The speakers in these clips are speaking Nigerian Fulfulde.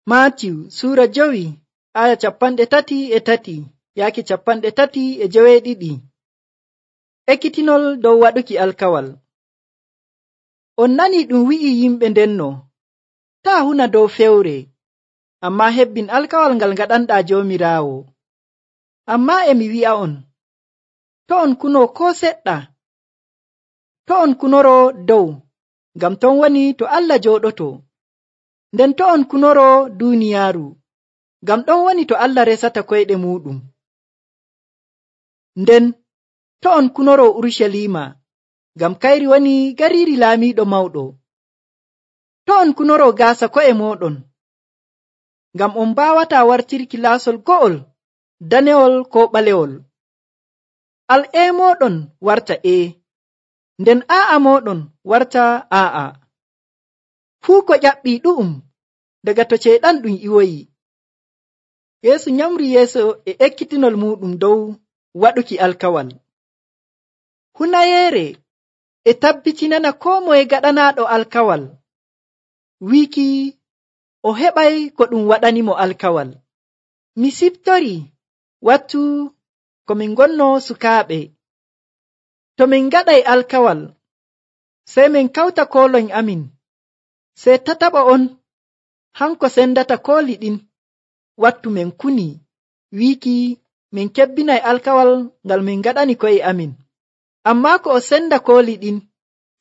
Maatiyu suura 5 aya 33 yaaki 32. Ekkitinol dow waɗuki alkawal. On nani ɗum wi'i yimɓe ndenno, taa huna dow fewre, amma hebbin alkawal ngal ngaɗanɗaa Joomiraawo. Amma emi wi'a'on, to on kuno ko seɗɗa, to on kunoro dow, ngam ton woni to Allah jooɗoto. Nden to on kunoro duuniyaaru, ngam ɗon woni to Allah resata koyɗe muɗum. Nden to on kunoro Urucaliima, ngam kayri woni gariiri laamiiɗo mawɗo. To on kunoro gaasa ko'e mooɗon, ngam on mbaawata wartirki laasol go'ol, danewol ko ɓalewol. Al'ee mooɗon warta nden aa'a mooɗon warta aa'a. Fuu ko ƴaɓɓii ɗu'um daga to ceyɗan ɗum iwoyi. Yeesu nyamri yeeso e ekkitinol muɗum dow waɗuki alkawal. Hunayeere e tabbitinana koo moye gaɗanaaɗo alkawal wiiki o heɓay ko ɗum waɗanimo alkawal. Mi siftori wattu ko min ngonno sukaaɓe. To min ngaɗay alkawal, sey min kawta koolon amin, sey tataɓa on hanko sendata kooli ɗin wattu min kuni wiiki min kebbinay alkawal ngal min ngaɗani ko'e amin. Ammaa ko o senda kooli ɗin,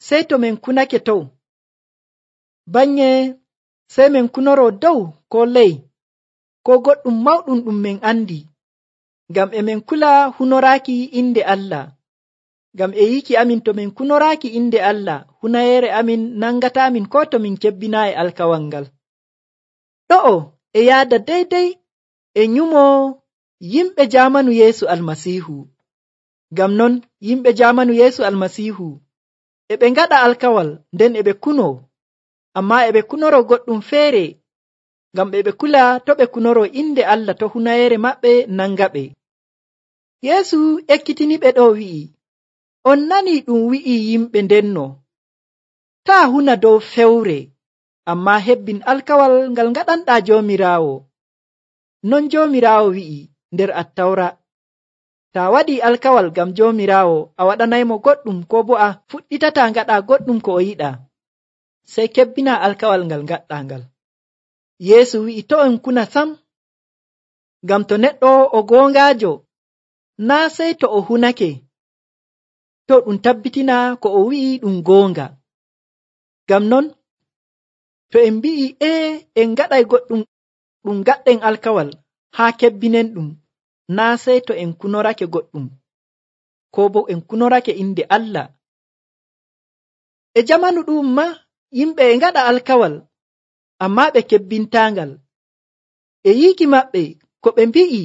sey to min kunake tow, bannye sey min kunoro dow ko ley ko goɗɗum mawɗum ɗum min andi, ngam e min kula hunoraaki inde Allah. Ngam e yiki amin to min kunoraaki inde Allah, hunayeere amin nangataamin ko to min kebbinaayi alkawal ngal. Ɗo'o e yaada deydey e nyumo yimɓe jaamanu Yeesu Almasiihu. Ngam non yimɓe jaamanu Yeesu Almasiihu e ɓe ngaɗa alkawal nden e ɓe kuno, amma e ɓe kunoro goɗɗum feere, ngam e ɓe kula to ɓe kunoro inde Allah to hunayeere maɓɓe nangaɓe. Yeesu ekkitiniɓe ɗo wi'i, on nani ɗum wi'i yimɓe ndenno, taa huna dow fewre, amma hebbin alkawal ngal ngaɗanɗaa Joomiraawo. Non Joomiraawo wi'i nder Attawra, taa waɗi alkawal ngam Joomiraawo a waɗanaymo goɗɗum ko bo a fuɗɗitataa ngaɗa goɗɗum ko o yiɗaa, sey kebbina alkawal ngal ngaɗɗaa ngal. Yeesu wi'i to on kuna sam, ngam to neɗɗo o goongaajo, naa sey to o hunake, to ɗum tabbitina ko o wi'i ɗum goonga. Ngam non to en mbi'i en ngaɗay goɗɗum ɗum gaɗɗen alkawal haa kebbinen ɗum, naa sey to en kunorake goɗɗum, ko bo en kunorake inde Allah. E jamanu ɗum ma yimɓe e ngaɗa alkawal, amma ɓe kebbintaangal. E yiiki maɓɓe ko ɓe mbi'i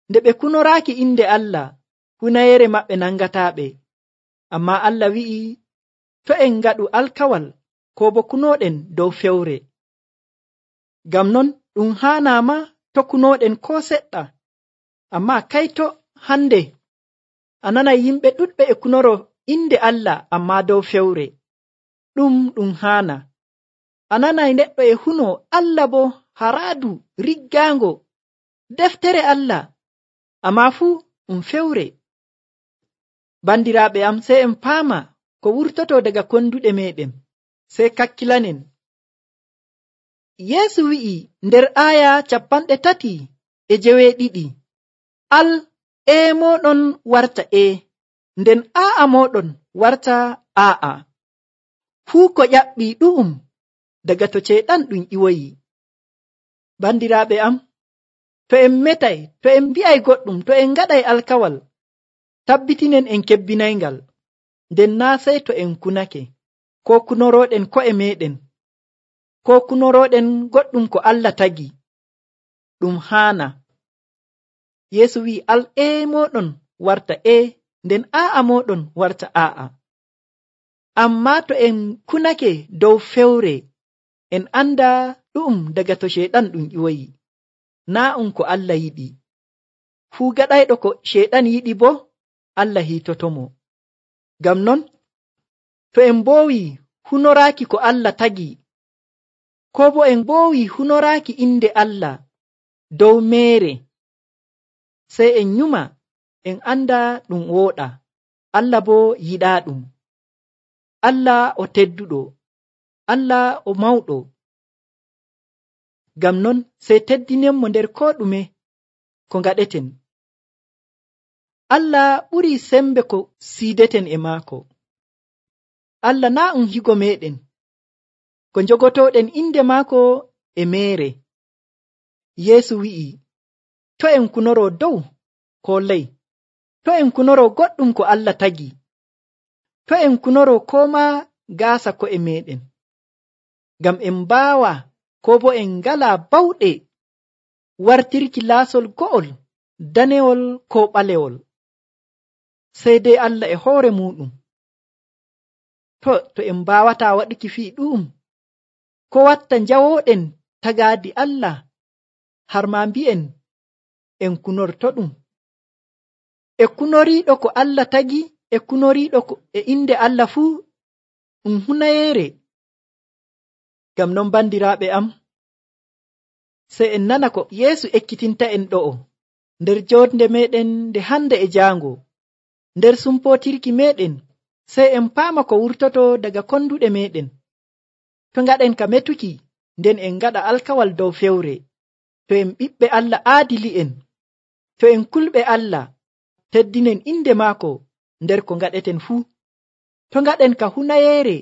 nde ɓe kunoraaki inde Allah, hunayeere maɓɓe nangataaɓe. Amma Allah wi'i to en ngaɗu alkawal ko bo kunooɗen dow fewre. Ngam non ɗum haanaama to kunooɗen ko seɗɗa. Amma kayto hande a nanay yimɓe ɗuɗɓe e kunoro inde Allah amma dow fewre. Ɗum haana. A nanay neɗɗo e huno Allah bo haraadu riggaango deftere Allah, amma fuu fewre. Bandiraaɓe am, sey en paama ko wurtoto daga konduɗe meɗen, sey kakkilanen. Yeesu wi'i nder aya 32, al moɗon warta nden aa'a moɗon warta aa'a. Fuu ko ƴaɓɓi ɗu'um daga to ceyɗan ɗum iwoyi. Bandiraaɓe am, to en metay, to en mbi'ay goɗɗum, to en ngaɗay alkawal, tabbitinen en kebbinayngal, nden naa sey to en kunake, ko kunoroɗen ko'e meɗen, ko kunoroɗen goɗɗum ko Allah tagi. Ɗum haana. Yeesu wi'i al moɗon warta nden aa'a moɗon warta aa'a. Amma to en kunake dow fewre, en anda ɗum daga to ceyɗan ɗum iwoyi, naa ko Allah yiɗi. Fuu gaɗayɗo ko ceyɗan yiɗi bo Allah hiitotomo. Ngam non to en mboowi hunoraaki ko Allah tagi, ko bo en ɓoowi hunoraaki inde Allah dow meere, sey en nyuma en anda ɗum wooɗa. Allah bo yiɗaa ɗum. Allah o tedduɗo, Allah o mawɗo. Ngam non sey teddinenmo nder koo ɗume ko ngaɗeten. Allah ɓurii sembe ko siideten e maako. Allah naa um higo meeɗen, ko njogotooɗen inde maako e meere. Yeesu wi'i, to en kunoroo dow koo ley, to en kunoroo goɗɗum ko Allah tagi, to en kunoroo koo maa gaasa ko'e meeɗen, ngam en mbaawa koo bo en ngalaa bawɗe wartirki laasol go'ol, danewol koo ɓalewol, sey dey Allah e hoore muuɗum. To en mbaawataa waɗuki fii ɗu'um, ko watta njawooɗen tagaadi Allah har maa mbi'en en kunortoɗum? E kunoriiɗo ko Allah tagi, e kunoriiɗo e inde Allah fuu ɗum hunayeere. Ngam non bandiraaɓe am, sey en nana ko Yeesu ekkitinta en ɗo'o nder jootnde meeɗen nde hande e jaango, nder sumpootirki meeɗen, sey en paama ko wurtoto daga konduɗe meeɗen. To ngaɗen ka metuki nden en ngaɗa alkawal dow fewre. To en ɓiɓɓe Allah aadili'en, to en kulɓe Allah, teddinen inde maako nder ko ngaɗeten fuu. To ngaɗen ka hunayeere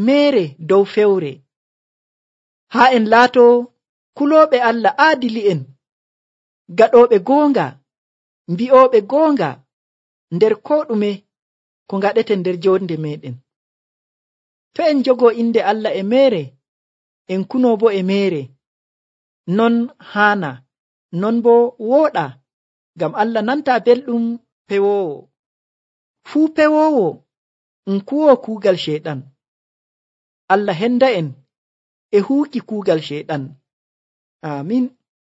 meere dow fewre, haa en laato kulooɓe Allah aadili'en, gaɗooɓe goonga, mbi'ooɓe goonga nder koo ɗume ko ngaɗeten nder joonde meeɗen. To en jogoo inde Allah e meere, en kunoo bo e meere, non haana, non bo wooɗa, ngam Allah nantaa belɗum pewoowo. Fuu pewoowo kuwoo kuugal Ceyɗan. Allah henda en e huuki kuugal Ceyɗan. Aamin.